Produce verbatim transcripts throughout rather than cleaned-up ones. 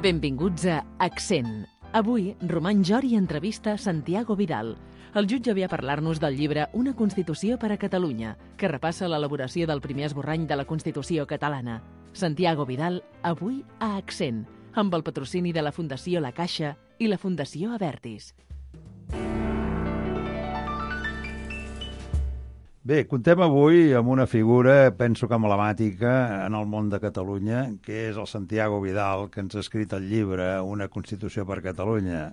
Benvinguts a Accent. Avui, Roman Jori entrevista Santiago Vidal. El jutge ve a parlar-nos del llibre Una Constitució per a Catalunya, que repassa l'elaboració del primer esborrany de la Constitució catalana. Santiago Vidal, avui a Accent, amb el patrocini de la Fundació La Caixa i la Fundació Abertis. Bé, contem avui amb una figura, penso que emblemàtica en el món de Catalunya, que és el Santiago Vidal, que ens ha escrit el llibre Una Constitució per Catalunya.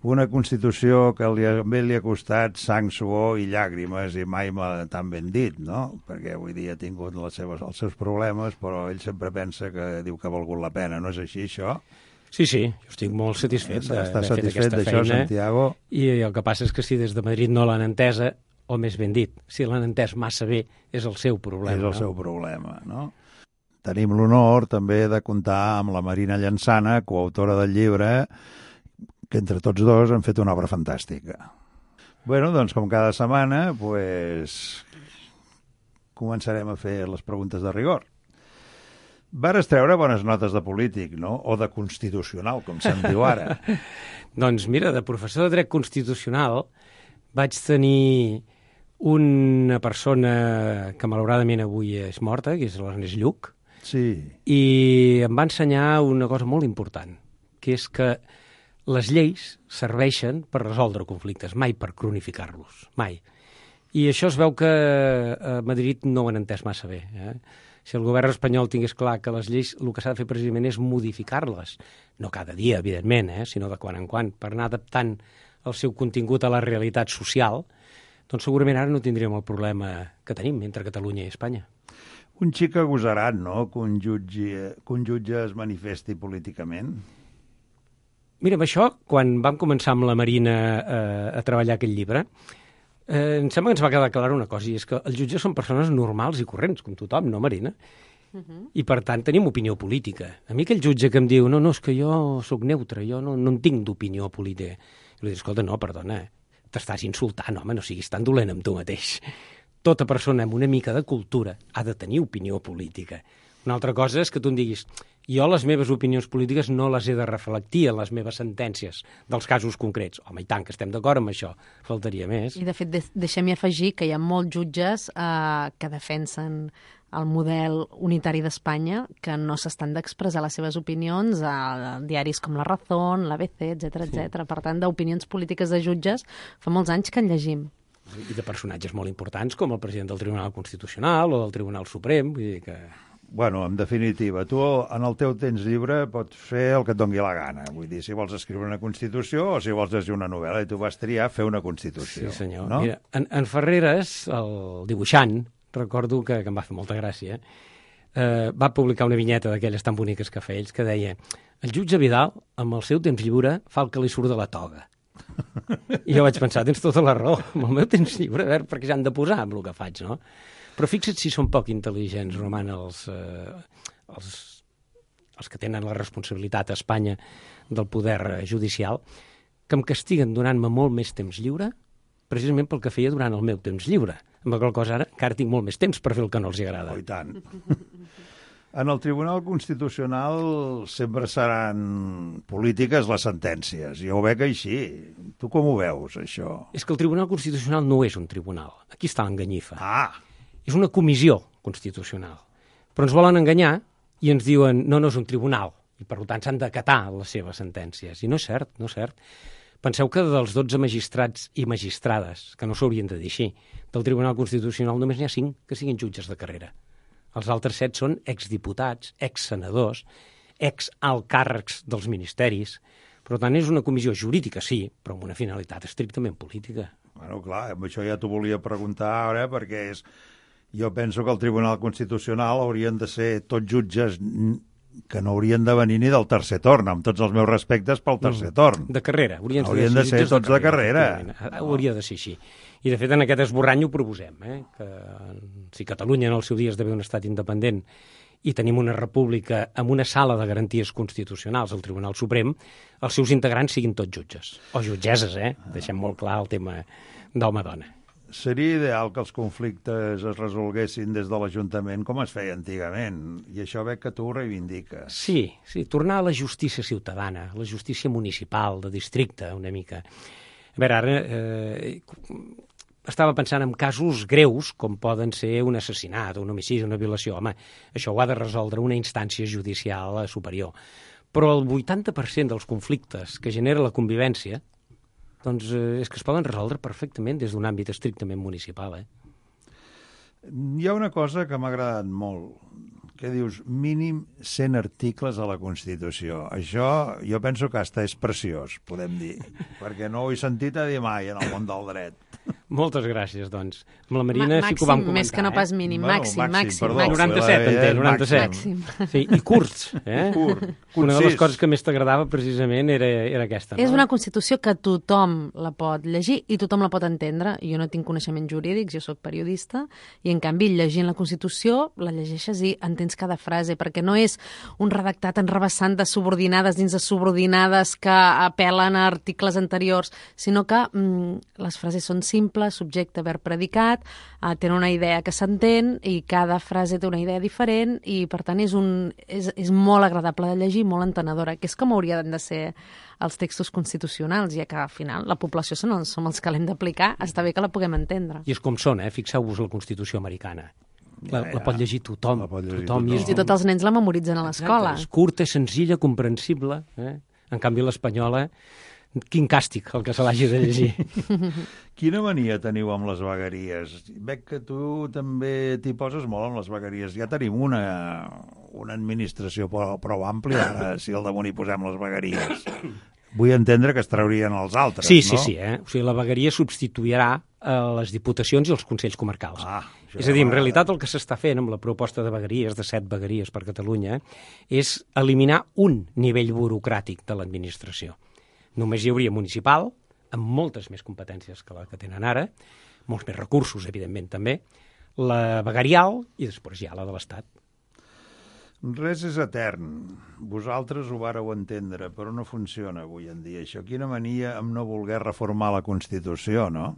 Una Constitució que li ha, bé li ha costat sang, suor i llàgrimes, i mai m'ha tan ben dit, no? Perquè avui dia ha tingut les seves, els seus problemes, però ell sempre pensa que diu que ha valgut la pena. No és així, això? Sí, sí, jo estic molt satisfet d'haver fet satisfet aquesta d'això, feina. Santiago? I el que passa és que si des de Madrid no l'han entesa, o més ben dit, si l'han entès massa bé, és el seu problema. És el no? seu problema, no? Tenim l'honor també de comptar amb la Marina Llançana, coautora del llibre, que entre tots dos han fet una obra fantàstica. Bueno, doncs com cada setmana, pues, començarem a fer les preguntes de rigor. Vares treure bones notes de polític, no? O de constitucional, com se'n diu ara. Doncs mira, de professor de dret constitucional vaig tenir una persona que malauradament avui és morta, que és l'Ernest Lluch, sí. I em va ensenyar una cosa molt important, que és que les lleis serveixen per resoldre conflictes, mai per cronificar-los, mai. I això es veu que a Madrid no ho han entès massa bé. Eh? Si el govern espanyol tingués clar que les lleis el que s'ha de fer precisament és modificar-les, no cada dia, evidentment, eh? sinó de quan en quan, per anar adaptant el seu contingut a la realitat social, doncs segurament ara no tindríem el problema que tenim entre Catalunya i Espanya. Un xic agosarat, no?, que un jutge, que un jutge es manifesti políticament. Mira, amb això, quan vam començar amb la Marina eh, a treballar aquest llibre, eh, em sembla que ens va quedar clara una cosa, i és que els jutges són persones normals i corrents, com tothom, no, Marina? Uh-huh. I, per tant, tenim opinió política. A mi aquell jutge que em diu, no, no, és que jo sóc neutre, jo no, no en tinc d'opinió política. I li dic, escolta, no, perdona, t'estàs insultant, home, no siguis tan dolent amb tu mateix. Tota persona amb una mica de cultura ha de tenir opinió política. Una altra cosa és que tu em diguis, jo les meves opinions polítiques no les he de reflectir en les meves sentències dels casos concrets. Home, i tant, que estem d'acord amb això, faltaria més. I, de fet, de deixem-hi afegir que hi ha molts jutges eh, que defensen el model unitari d'Espanya, que no s'estan d'expressar les seves opinions a diaris com La Razón, l'A B C, etcètera, Sí. etcètera. Per tant, d'opinions polítiques de jutges fa molts anys que en llegim. I de personatges molt importants, com el president del Tribunal Constitucional o del Tribunal Suprem, vull dir que... Bueno, en definitiva, tu en el teu temps lliure pots fer el que et doni la gana. Vull dir, si vols escriure una Constitució o si vols llegir una novel·la, i tu vas triar fer una Constitució. Sí, senyor. No? Mira, en, en Ferreres, el dibuixant, recordo que, que em va fer molta gràcia, eh, va publicar una vinyeta d'aquelles tan boniques que feia ells, que deia, el jutge Vidal, amb el seu temps lliure, fa el que li surt de la toga. I jo vaig pensar, tens tota la raó, amb el meu temps lliure, a veure, perquè s'han de posar amb el que faig, no? Però fixa't si són poc intel·ligents, Roman, els, eh, els, els que tenen la responsabilitat a Espanya del poder judicial, que em castiguen donant-me molt més temps lliure, precisament pel que feia durant el meu temps lliure. Amb la qual cosa ara encara tinc molt més temps per fer el que no els agrada. Oh, i tant. En el Tribunal Constitucional sempre seran polítiques les sentències. Jo ho veig així. Tu com ho veus, això? És que el Tribunal Constitucional no és un tribunal. Aquí està l'enganyifa. Ah! És una comissió constitucional. Però ens volen enganyar i ens diuen no, no és un tribunal. I per tant s'han d'acatar les seves sentències. I no és cert, no és cert. Penseu que dels dotze magistrats i magistrades, que no s'haurien de dir així, del Tribunal Constitucional només n'hi ha cinc que siguin jutges de carrera. Els altres set són exdiputats, exsenadors, exalcàrrecs dels ministeris. Per tant, és una comissió jurídica, sí, però amb una finalitat estrictament política. Bueno, clar, amb això ja t'ho volia preguntar ara, perquè és... jo penso que el Tribunal Constitucional haurien de ser tots jutges que no haurien de venir ni del tercer torn, amb tots els meus respectes pel tercer torn. De carrera. Haurien, haurien de ser jutges tots de carrera. De carrera. Hauria de ser així. I, de fet, en aquest esborrany ho proposem, eh? que si Catalunya en el seu dia esdevé un estat independent i tenim una república amb una sala de garanties constitucionals, el Tribunal Suprem, els seus integrants siguin tots jutges. O jutgesses, eh? Deixem molt clar el tema d'home-dona. Seria ideal que els conflictes es resolguessin des de l'Ajuntament com es feia antigament, i això veig que tu ho reivindiques. Sí, sí, tornar a la justícia ciutadana, la justícia municipal, de districte, una mica. A veure, ara eh, estava pensant en casos greus, com poden ser un assassinat, un homicidi, una violació. Home, això ho ha de resoldre una instància judicial superior. Però el vuitanta per cent dels conflictes que genera la convivència doncs eh, és que es poden resoldre perfectament des d'un àmbit estrictament municipal. Eh? Hi ha una cosa que m'ha agradat molt, que dius mínim cent articles a la Constitució. Això jo penso que hasta és preciós, podem dir, perquè no ho he sentit a dir mai en el món del dret. Moltes gràcies, doncs. Amb la Marina Ma sí que ho vam màxim, comentar. més que no pas mínim, eh? màxim, Bueno, màxim. perdó, màxim. noranta-set, en té, noranta-set. Màxim. Sí, i curts. Eh? Curt, Una de les concís. coses que més t'agradava precisament era, era aquesta. No? És una Constitució que tothom la pot llegir i tothom la pot entendre. Jo no tinc coneixements jurídics, jo sóc periodista, i en canvi llegint la Constitució la llegeixes i entens cada frase, perquè no és un redactat enrevessant de subordinades dins de subordinades que apel·len a articles anteriors, sinó que mm, les frases són simples, subjecte, verb, predicat, eh, tenen una idea que s'entén i cada frase té una idea diferent i, per tant, és, un, és, és molt agradable de llegir, molt entenedora, que és com haurien de ser els textos constitucionals, ja que, al final, la població som els, som els que l'hem d'aplicar, està bé que la puguem entendre. I és com són, eh? Fixeu-vos la Constitució americana. La, Ja, ja. la pot llegir tothom. La pot llegir tothom, tothom. i és, Fins i tot els nens la memoritzen a l'escola. és curta, és senzilla, comprensible. Eh? En canvi, l'espanyola, quin càstig el que se l'hagi de llegir. Quina mania teniu amb les vegueries? Veig que tu també t'hi poses molt amb les vegueries. Ja tenim una, una administració prou, prou àmplia, ara, si al damunt hi posem les vegueries. Vull entendre que es traurien els altres, Sí, no? sí, sí. Eh? O sigui, la vegueria substituirà a les diputacions i els consells comarcals. Ah, és a dir, en realitat el que s'està fent amb la proposta de vegueries, de set vegueries per Catalunya, és eliminar un nivell burocràtic de l'administració. Només hi hauria municipal, amb moltes més competències que la que tenen ara, molts més recursos, evidentment, també, la veguerial i després hi ha la de l'Estat. Res és etern. Vosaltres ho vareu entendre, però no funciona avui en dia això. Quina mania amb no voler reformar la Constitució, no?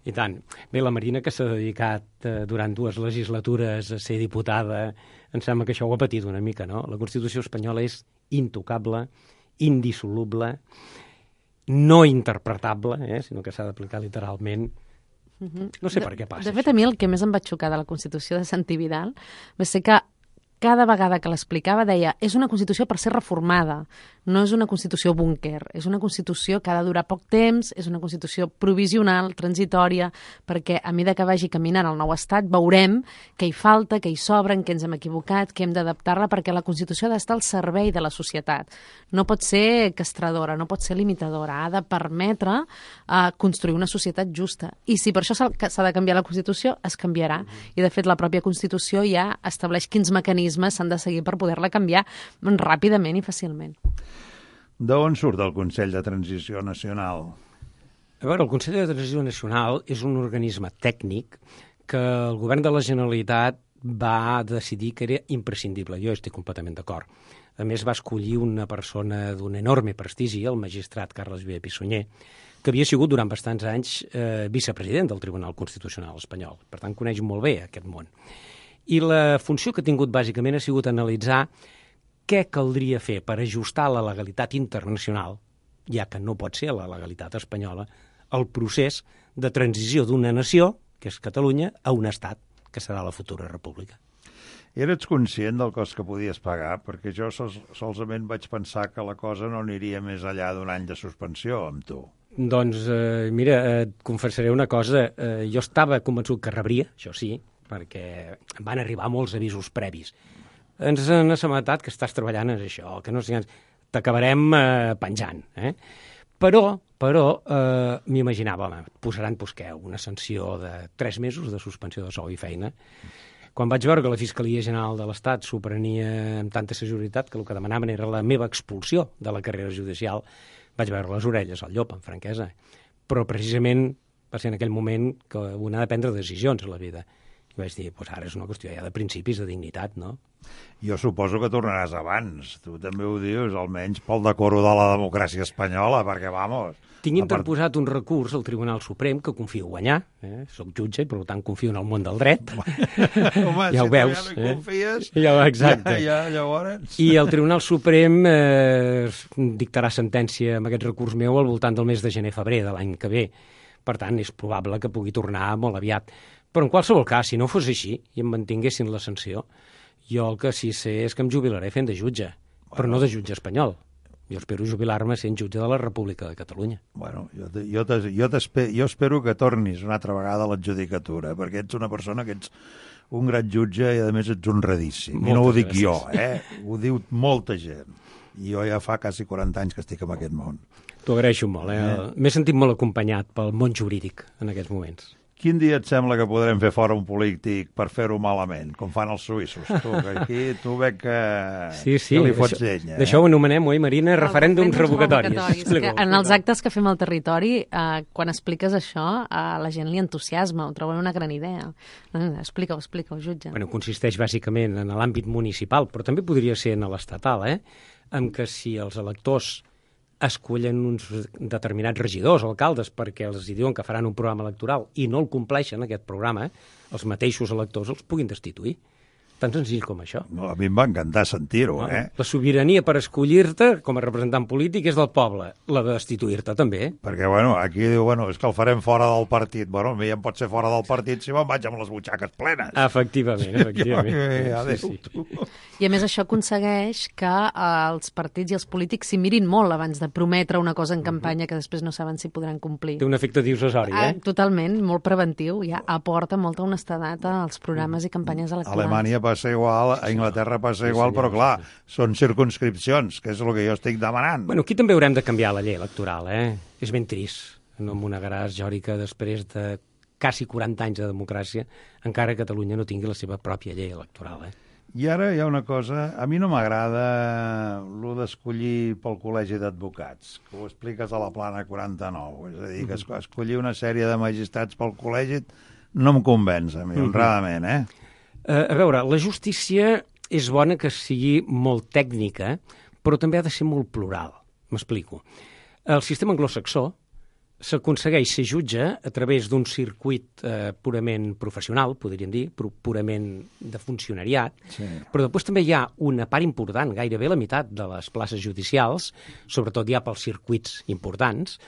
I tant. Bé, la Marina, que s'ha dedicat eh, durant dues legislatures a ser diputada, em sembla que això ho ha patit una mica, no? La Constitució espanyola és intocable, indissoluble, no interpretable, eh, sinó que s'ha d'aplicar literalment. No sé per què passa. De fet, a mi el que més em va xocar de la Constitució de Santi Vidal va ser que cada vegada que l'explicava deia és una Constitució per ser reformada, no és una Constitució búnquer, és una Constitució que ha de durar poc temps, és una Constitució provisional, transitòria, perquè a mesura que vagi caminant el nou estat veurem què hi falta, què hi sobra, en què ens hem equivocat, què hem d'adaptar-la, perquè la Constitució ha d'estar al servei de la societat. No pot ser castradora, no pot ser limitadora, ha de permetre uh, construir una societat justa. I si per això s'ha s'ha de canviar la Constitució, es canviarà. I, de fet, la pròpia Constitució ja estableix quins mecanismes s'han de seguir per poder-la canviar ràpidament i fàcilment. D'on surt el Consell de Transició Nacional? A veure, el Consell de Transició Nacional és un organisme tècnic que el govern de la Generalitat va decidir que era imprescindible. Jo estic completament d'acord. A més, va escollir una persona d'un enorme prestigi, el magistrat Carles Viver Pissunyer, que havia sigut durant bastants anys eh, vicepresident del Tribunal Constitucional espanyol. Per tant, coneix molt bé aquest món. I la funció que ha tingut bàsicament ha sigut analitzar què caldria fer per ajustar la legalitat internacional, ja que no pot ser la legalitat espanyola, el procés de transició d'una nació, que és Catalunya, a un estat, que serà la futura república. Eres conscient del cost que podies pagar? Perquè jo sols, solament vaig pensar que la cosa no aniria més enllà d'un any de suspensió amb tu. Doncs, eh, mira, eh, et confessaré una cosa. Eh, jo estava convençut que rebria, això sí, perquè em van arribar molts avisos previs. Ens han assabentat que estàs treballant en això, que no sé, t'acabarem eh, penjant. Eh? Però, però eh, m'imaginava, home, et posaran pues, què, una sanció de tres mesos de suspensió de sou i feina. Quan vaig veure que la Fiscalia General de l'Estat s'ho prenia amb tanta seguretat que el que demanaven era la meva expulsió de la carrera judicial, vaig veure les orelles al llop, amb franquesa. Però precisament va ser en aquell moment que una ha de prendre decisions a la vida. I vaig dir, doncs ara és una qüestió ja de principis, de dignitat, no? Jo suposo que tornaràs abans. Tu també ho dius, almenys pel decoro de la democràcia espanyola, perquè, vamos... Tinc interposat un recurs al Tribunal Suprem que confio guanyar. Eh? Soc jutge i, per tant, confio en el món del dret. Home, ja si ho veus. Ja no hi confies, eh? ja, exacte. Ja, ja, llavors... I el Tribunal Suprem eh, dictarà sentència amb aquest recurs meu al voltant del mes de gener-febrer de l'any que ve. Per tant, és probable que pugui tornar molt aviat. Però, en qualsevol cas, si no fos així i em mantinguessin la sanció, jo el que sí sé és que em jubilaré fent de jutge, bueno, però no de jutge espanyol. Jo espero jubilar-me sent jutge de la República de Catalunya. Bueno, jo, te, jo, te, jo, te, jo espero que tornis una altra vegada a l'adjudicatura, perquè ets una persona que ets un gran jutge i, a més, ets honradíssim. Moltes I no ho dic gràcies. jo, eh? Ho diu molta gent. I jo ja fa quasi quaranta anys que estic en aquest món. T'ho agraeixo molt, eh? eh? M'he sentit molt acompanyat pel món jurídic en aquests moments. Quin dia et sembla que podrem fer fora un polític per fer-ho malament, com fan els suïssos? Tu, que aquí tu veig que, sí, sí, que li fots això, llenya. D'això eh? ho anomenem, oi, Marina? El referèndums revocatoris. revocatoris. Que en els actes que fem al territori, eh, quan expliques això, a la gent li entusiasma, ho troben una gran idea. Eh, explica-ho, explica-ho, jutge. Bueno, consisteix bàsicament en l'àmbit municipal, però també podria ser en l'estatal, eh? En què si els electors escollen uns determinats regidors o alcaldes perquè els diuen que faran un programa electoral i no el compleixen, aquest programa, els mateixos electors els puguin destituir. Tan senzill com això. No, a mi em va encantar sentir-ho, no, eh? La sobirania per escollir-te com a representant polític és del poble. La de destituir-te també. Perquè, bueno, aquí diu, bueno, és que el farem fora del partit. Bueno, a mi ja em pot ser fora del partit si me'n vaig amb les butxaques plenes. Efectivament, efectivament. Jo, adéu, sí, sí. tu. I a més això aconsegueix que eh, els partits i els polítics s'hi mirin molt abans de prometre una cosa en campanya que després no saben si podran complir. Té un efecte dissuasori, eh? Ah, totalment, molt preventiu. Ja aporta molta honestedat als programes i campanyes electorals. Alemanya passa igual, a Inglaterra passa igual, sí, però clar, són circunscripcions, que és el que jo estic demanant. Bueno, aquí també haurem de canviar la llei electoral, eh? És ben trist. No em monegaràs, Jori, que després de quasi quaranta anys de democràcia encara Catalunya no tingui la seva pròpia llei electoral, eh? I ara hi ha una cosa, a mi no m'agrada el d'escollir pel col·legi d'advocats, que ho expliques a la plana quaranta-nou, és a dir, que escollir una sèrie de magistrats pel col·legi no em convenç a mi, honradament, eh? Uh, a veure, la justícia és bona que sigui molt tècnica, però també ha de ser molt plural. M'explico. El sistema anglosaxó s'aconsegueix ser jutge a través d'un circuit eh, purament professional, podríem dir, purament de funcionariat, sí. Però després també hi ha una part important, gairebé la meitat de les places judicials, sobretot ja pels circuits importants,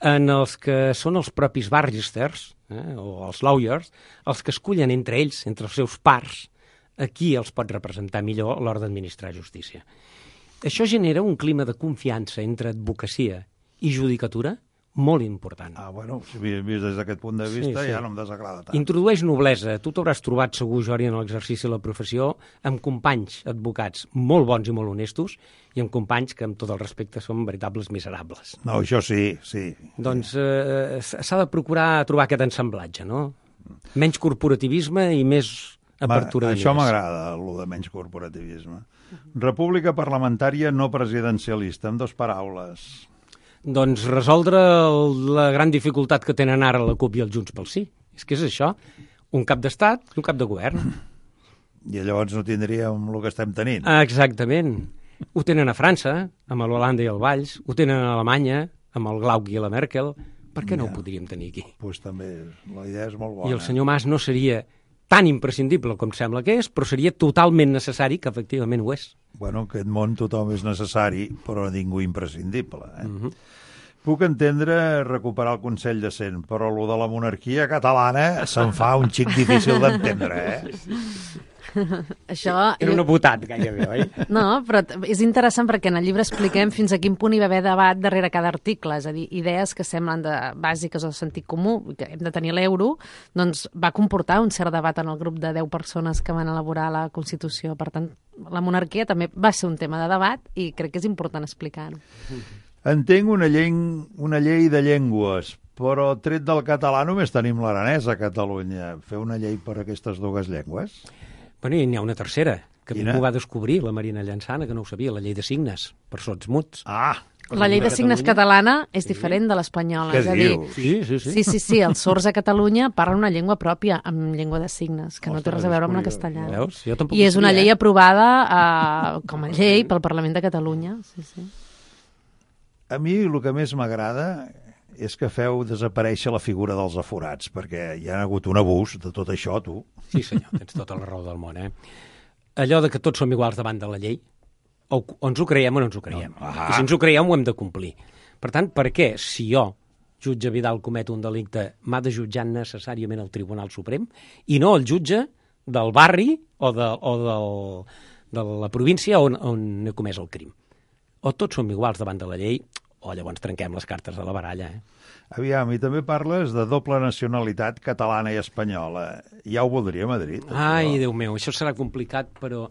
en els que són els propis barristers, eh, o els lawyers, els que escullen entre ells, entre els seus pars, a qui els pot representar millor a l'hora d'administrar justícia. Això genera un clima de confiança entre advocacia i judicatura molt important. Ah, bueno, si vist des d'aquest punt de vista sí, sí. ja no em desagrada tant. Introdueix noblesa. Tu t'hauràs trobat segur, Jori, en l'exercici de la professió, amb companys advocats molt bons i molt honestos i amb companys que, amb tot el respecte, són veritables miserables. No, això sí, sí. Doncs eh, s'ha de procurar trobar aquest ensamblatge, no? Menys corporativisme i més apertura de mires. Això m'agrada, el de menys corporativisme. República parlamentària no presidencialista, en dues paraules. Doncs resoldre el, la gran dificultat que tenen ara la CUP i el Junts pel Sí. És que és això, un cap d'estat i un cap de govern. I llavors no tindríem el que estem tenint. Exactament. Ho tenen a França, amb l'Holanda i el Valls, ho tenen a Alemanya, amb el Glauc i la Merkel. Per què no ja. ho podríem tenir aquí? Doncs pues també, la idea és molt bona. I el senyor Mas no seria tan imprescindible com sembla que és, però seria totalment necessari, que efectivament ho és. Bueno, aquest món tothom és necessari, però ningú imprescindible. Eh? Uh-huh. Puc entendre recuperar el Consell de Cent, però el de la monarquia catalana se'n fa un xic difícil d'entendre, eh? Això... Era un votat, gairebé, oi? No, però és interessant perquè en el llibre expliquem fins a quin punt hi va haver debat darrere cada article, és a dir, idees que semblen de bàsiques o de sentit comú, que hem de tenir l'euro, doncs va comportar un cert debat en el grup de deu persones que van elaborar la Constitució. Per tant, la monarquia també va ser un tema de debat i crec que és important explicar-ho. Entenc una llei, una llei de llengües, però tret del català només tenim l'aranès a Catalunya. Fer una llei per aquestes dues llengües? Bueno, i n'hi ha una tercera, que Quina? m'ho va descobrir la Marina Llançana, que no ho sabia, la llei de signes, per sords muts. Ah! La llei de signes catalana és diferent de l'espanyola. Què És a dir, dius? Sí, sí, sí. sí, sí, sí, els sords a Catalunya parlen una llengua pròpia, amb llengua de signes, que no té Ostres, res a veure amb la és curiós, castellana. Veus? Jo tampoc I ho és una sabia, llei eh? aprovada eh, com a llei pel Parlament de Catalunya. Sí, sí. A mi el que més m'agrada és que feu desaparèixer la figura dels aforats, perquè hi ha hagut un abús de tot això, tu. Sí, senyor, tens tota la raó del món, eh? Allò de que tots som iguals davant de la llei, o, o ens ho creiem o no ens ho creiem. No, I si ens ho creiem, ho hem de complir. Per tant, per què, si jo, jutge Vidal, comet un delicte, m'ha de jutjar necessàriament el Tribunal Suprem i no el jutge del barri o de, o del, de la província on, on he comès el crim? O tots som iguals davant de la llei, o llavors trenquem les cartes de la baralla, eh? Aviam, i també parles de doble nacionalitat catalana i espanyola. Ja ho voldria a Madrid. Ai, això. Déu meu, això serà complicat, però...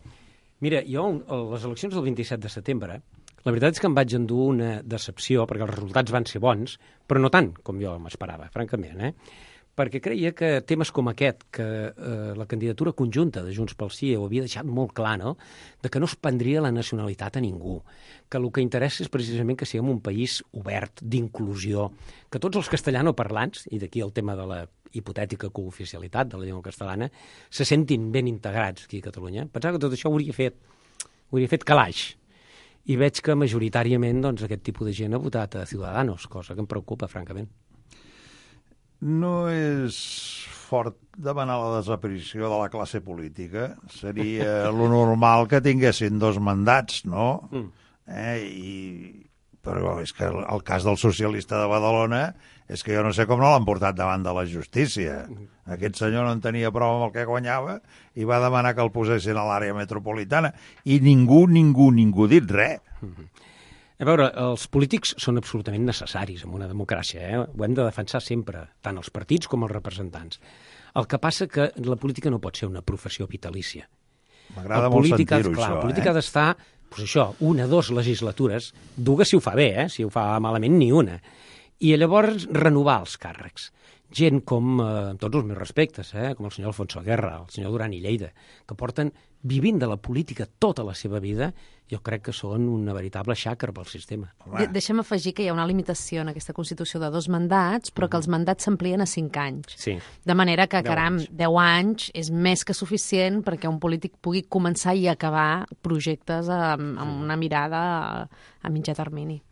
Mira, jo, a les eleccions del vint-i-set de setembre, la veritat és que em vaig endur una decepció, perquè els resultats van ser bons, però no tant com jo m'esperava, francament, eh? Perquè creia que temes com aquest, que eh, la candidatura conjunta de Junts pel Sí ho havia deixat molt clar, no?, de que no es prendria la nacionalitat a ningú, que el que interessa és precisament que siguem un país obert, d'inclusió, que tots els castellanoparlants, i d'aquí el tema de la hipotètica cooficialitat de la llengua catalana, se sentin ben integrats aquí a Catalunya. Pensava que tot això ho hauria fet, ho hauria fet calaix. I veig que majoritàriament doncs, aquest tipus de gent ha votat a Ciudadanos, cosa que em preocupa, francament. No és fort demanar la desaparició de la classe política. Seria lo normal que tinguessin dos mandats, no? Mm. Eh? I... Però és que el, el cas del socialista de Badalona és que jo no sé com no l'han portat davant de la justícia. Aquest senyor no en tenia prou amb el que guanyava i va demanar que el posessin a l'àrea metropolitana. I ningú, ningú, ningú dit res. Mm-hmm. A veure, els polítics són absolutament necessaris en una democràcia, eh? Ho hem de defensar sempre, tant els partits com els representants. El que passa que la política no pot ser una professió vitalícia. M'agrada molt sentir-ho, això. La política eh? ha d'estar, doncs això, una, dues legislatures, dues si ho fa bé, eh? Si ho fa malament, ni una. I llavors renovar els càrrecs. Gent com, eh, amb tots els meus respectes, eh? Com el senyor Alfonso Guerra, el senyor Duran i Lleida, que porten vivint de la política tota la seva vida, jo crec que són una veritable xàquer pel sistema. De Deixa'm afegir que hi ha una limitació en aquesta Constitució de dos mandats, però que els mandats s'amplien a cinc anys. Sí. De manera que, Deu caram, anys. deu anys és més que suficient perquè un polític pugui començar i acabar projectes amb, amb una mirada a, a mitjà termini.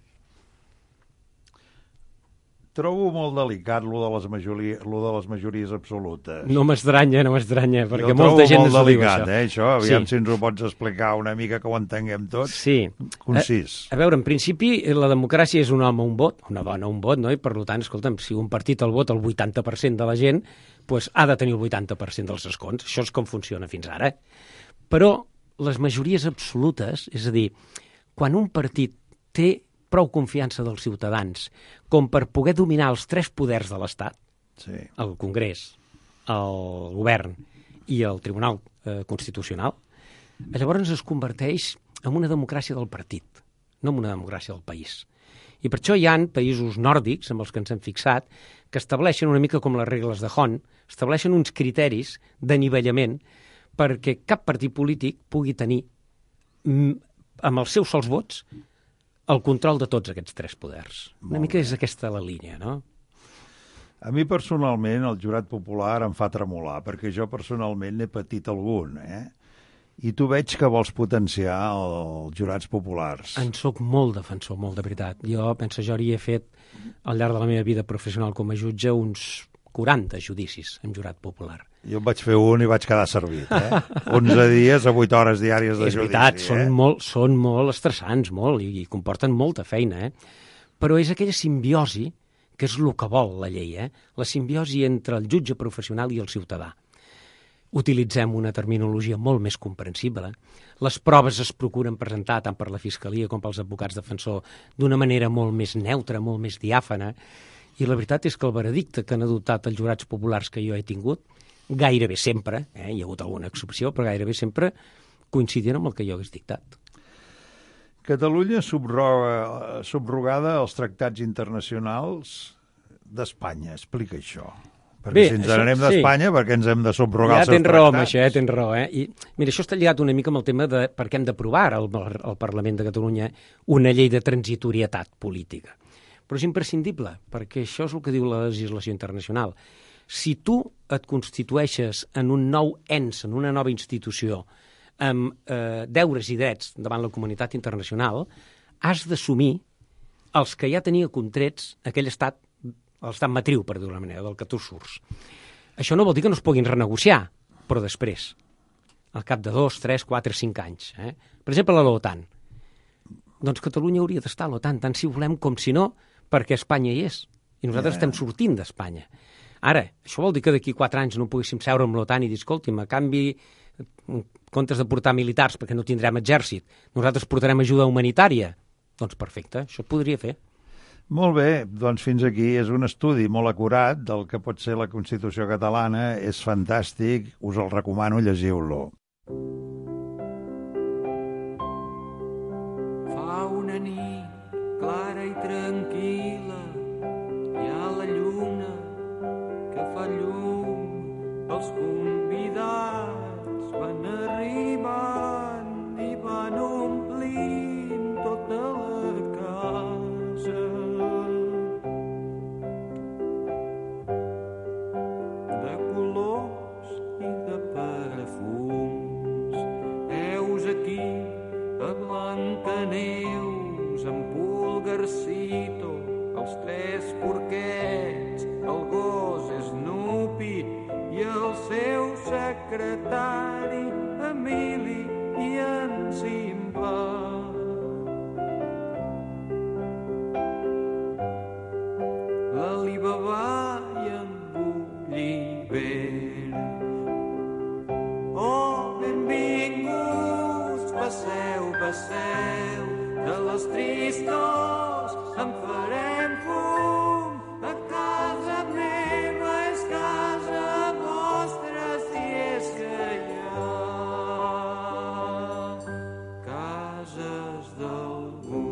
Trobo molt delicat lo de les, majoria, lo de les majories absolutes. No m'estranya, no m'estranya, perquè jo molta gent molt ens ho diu, delicat, això. eh, això. Aviam Sí. si ens ho pots explicar una mica que ho entenguem tots. Sí. Concís. A, a veure, en principi, la democràcia és un home, un vot, una dona, un vot, no? I per tant, escolta'm, si un partit el vota el vuitanta per cent de la gent, doncs ha de tenir el vuitanta per cent dels escons. Això és com funciona fins ara. Però les majories absolutes, és a dir, quan un partit té prou confiança dels ciutadans com per poder dominar els tres poders de l'Estat, Sí. el Congrés, el Govern i el Tribunal eh, Constitucional, llavors es converteix en una democràcia del partit, no en una democràcia del país. I per això hi ha països nòrdics, amb els que ens hem fixat, que estableixen una mica com les regles de Hon, estableixen uns criteris d'anivellament perquè cap partit polític pugui tenir, amb els seus sols vots, el control de tots aquests tres poders. Una Molt mica bé. és aquesta la línia, no? A mi personalment el jurat popular em fa tremolar, perquè jo personalment n'he patit algun, eh? I tu veig que vols potenciar els jurats populars. En soc molt defensor, molt de veritat. Jo penso, jo hauria fet al llarg de la meva vida professional com a jutge uns quaranta judicis en jurat popular. Jo en vaig fer un i vaig quedar servit, eh? onze dies a vuit hores diàries de És judici, veritat, eh? són, molt, són molt estressants, molt, i, i comporten molta feina, eh? Però és aquella simbiosi que és el que vol la llei, eh? La simbiosi entre el jutge professional i el ciutadà. Utilitzem una terminologia molt més comprensible. Les proves es procuren presentar tant per la Fiscalia com pels advocats defensors d'una manera molt més neutra, molt més diàfana. I la veritat és que el veredicte que han adoptat els jurats populars que jo he tingut, gairebé sempre, eh, hi ha hagut alguna excepció, però gairebé sempre coincidien amb el que jo hagués dictat. Catalunya subroga, subrogada als tractats internacionals d'Espanya. Explica això. Perquè Bé, si ens això- n'anem sí. d'Espanya, perquè ens hem de subrogar Ja els seus tens raó amb tractats. això, eh? tens raó. Eh? I, mira, això està lligat una mica amb el tema de per què hem d'aprovar al, al Parlament de Catalunya una llei de transitorietat política. Però és imprescindible, perquè això és el que diu la legislació internacional. Si tu et constitueixes en un nou ens, en una nova institució, amb eh, deures i drets davant la comunitat internacional, has d'assumir els que ja tenia contrets aquell estat, l'estat matriu, per dir-ho d'una manera, del que tu surts. Això no vol dir que no es puguin renegociar, però després, al cap de dos, tres, quatre, cinc anys. Eh? Per exemple, a l'OTAN. Doncs Catalunya hauria d'estar a l'OTAN, tant si volem com si no, perquè Espanya hi és. I nosaltres yeah. estem sortint d'Espanya. Ara, això vol dir que d'aquí quatre anys no poguéssim seure amb l'OTAN i dir, escolti'm, a canvi, en comptes de portar militars, perquè no tindrem exèrcit, nosaltres portarem ajuda humanitària. Doncs perfecte, això es podria fer. Molt bé, doncs fins aquí és un estudi molt acurat del que pot ser la Constitució catalana, és fantàstic, us el recomano, llegiu-lo. Fa una nit clara i tranquil·la, hi ha la lluna que fa llum, els convidats van arribant i van omplint tota la casa. De colors i de perfums, heus aquí a Blancaneus, en Pulgarcito, els tres porquets, el gos Snoopy i el seu secretari Emili i en Simba. L'Alibaba i en Gulliver. Oh, benvinguts, passeu, passeu, de les tristors en farem fum. A casa meva és casa vostra, si és que hi ha cases d'algú.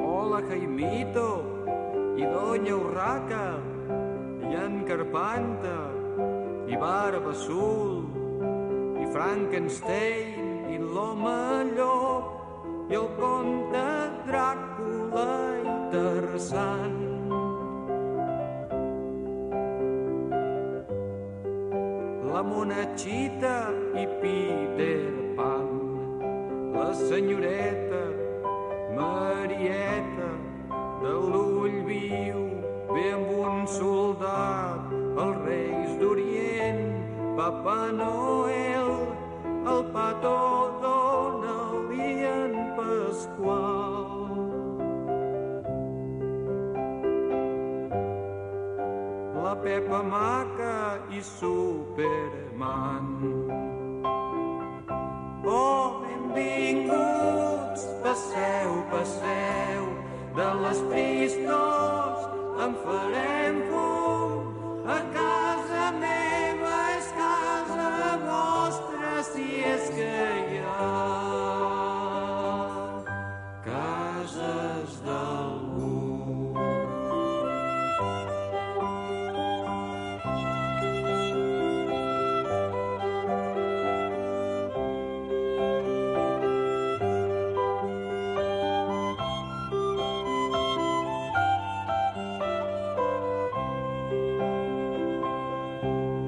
Hola, Jaimito i Doña Urraca i en Carpanta i Barba Azul i Frankenstein i l'home llop i el conte Dràcula i Tarzan. La Monachita i Peter Pan, la senyoreta Marieta de l'ull viu, ve amb un soldat, els reis d'Orient, Papa Noel, el Pato Donald i en Pasqual. La Pepa Maca i Superman. Oh, benvinguts, passeu, passeu, de les tristors en farem fum.